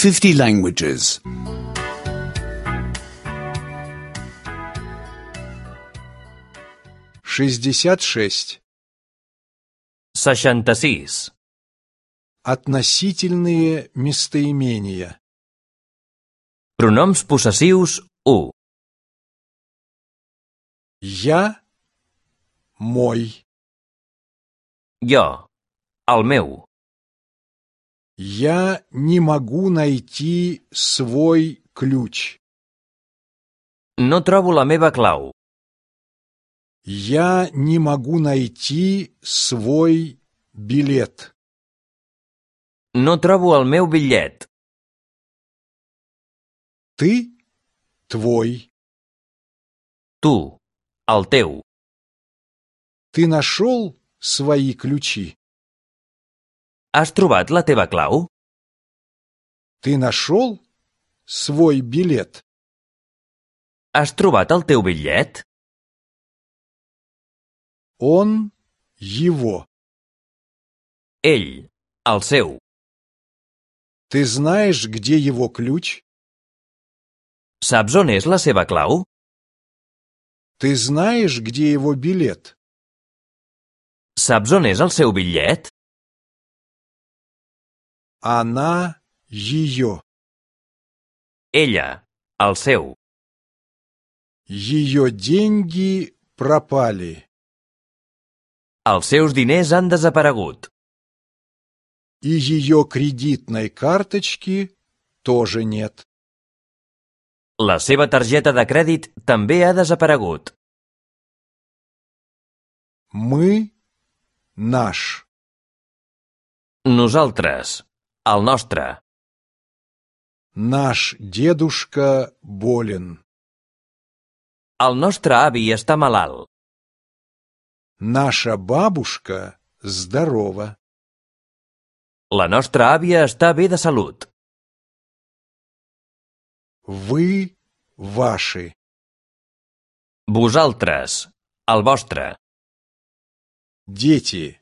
50 languages. 66. 66. Относительные местоимения. Pronoms possessius 1. Я, мой. Jo, el meu. Я не могу найти свой ключ. No trobo la meva clau. Я не могу найти свой билет. No trobo el meu bitllet. Ты, твой. Tu, el teu. Ты нашел свои ключи? Has trobat la teva clau? Ты нашел свой билет? Has trobat el teu bitllet? Он, его. Ell, el seu. Ты знаешь, где его ключ? Saps on és la seva clau? Ты знаешь, где его билет? Saps on és el seu bitllet? Она, ее. Ella, el seu. Ее деньги пропали. Els seus diners han desaparegut. И ее кредитной карточки тоже нет. La seva targeta de crèdit també ha desaparegut. Мы, наш. Nosaltres, el nostre. Наш дедушка болен. El nostre avi està malalt. Наша бабушка здорова. La nostra àvia està bé de salut. Вы, ваши. Vosaltres, el vostre. Дети.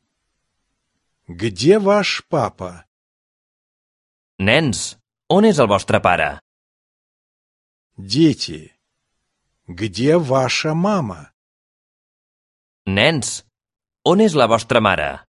Где ваш папа? Nens, on és el vostre pare? Дети. Где ваша мама? Nens, on és la vostra mare?